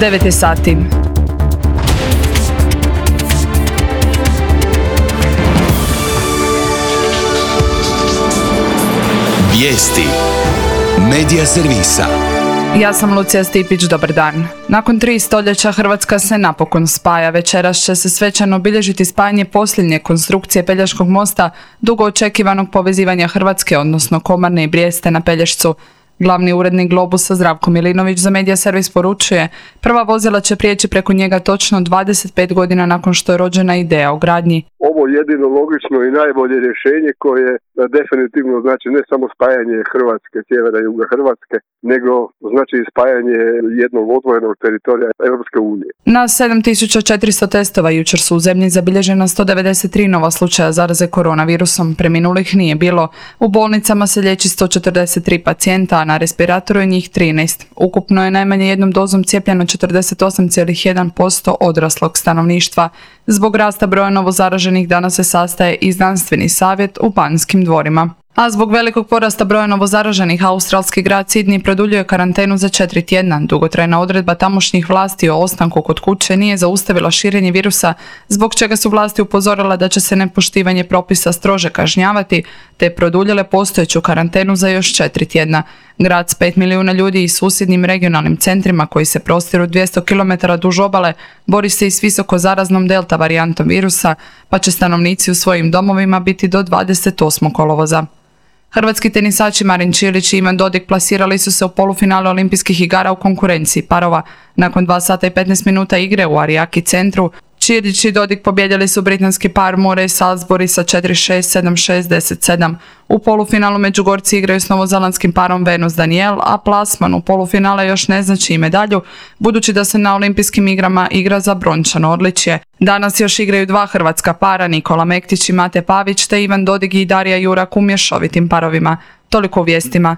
9 je sati. Vijesti Medija servisa. Ja sam Lucija Stipić, dobar dan. Nakon 3 stoljeća Hrvatska se napokon spaja. Večeras će se svečano obilježiti spajanje posljednje konstrukcije Pelješkog mosta, dugo očekivanog povezivanja Hrvatske, odnosno Komarne i Brijeste na Pelješcu. Glavni urednik Globusa Zdravko Milinović za Medija servis poručuje, prva vozila će prijeći preko njega točno 25 godina nakon što je rođena ideja o gradnji. Ovo je jedino logično i najbolje rješenje koje definitivno znači ne samo spajanje Hrvatske, sjevera i juga Hrvatske, nego znači spajanje jednog odvojenog teritorija Europske unije. Na 7400 testova jučer su u zemlji zabilježena 193 nova slučaja zaraze koronavirusom, preminulih nije bilo. U bolnicama se liječi 143 pacijenta, a na respiratoru je njih 13. Ukupno je najmanje jednom dozom cijepljeno 48,1% odraslog stanovništva. Zbog rasta broja novozaraženih danas se sastaje i znanstveni savjet u Banskim dvorima. A zbog velikog porasta broja novozaraženih, australski grad Sydney produljuje karantenu za 4 tjedna. Dugotrajna odredba tamošnjih vlasti o ostanku kod kuće nije zaustavila širenje virusa, zbog čega su vlasti upozorile da će se nepoštivanje propisa strože kažnjavati, te produljile postojeću karantenu za još 4 tjedna. Grad s 5 milijuna ljudi i susjednim regionalnim centrima koji se prostiru 200 km duž obale bori se i s visoko zaraznom delta varijantom virusa, pa će stanovnici u svojim domovima biti do 28. kolovoza. Hrvatski tenisači Marin Čilić i Ivan Dodig plasirali su se u polufinale Olimpijskih igara u konkurenciji parova. Nakon 2 sata i 15 minuta igre u Arijaki centru, Čilić i Dodig pobjedili su britanski par Murray Salisbury sa 4-6, 7-6, 10-7. U polufinalu Međugorci igraju s novozelandskim parom Venus Daniel, a plasman u polufinale još ne znači i medalju, budući da se na Olimpijskim igrama igra za brončano odličje. Danas još igraju 2 hrvatska para, Nikola Mektić i Mate Pavić, te Ivan Dodig i Darija Jurak u mješovitim parovima. Toliko u vijestima.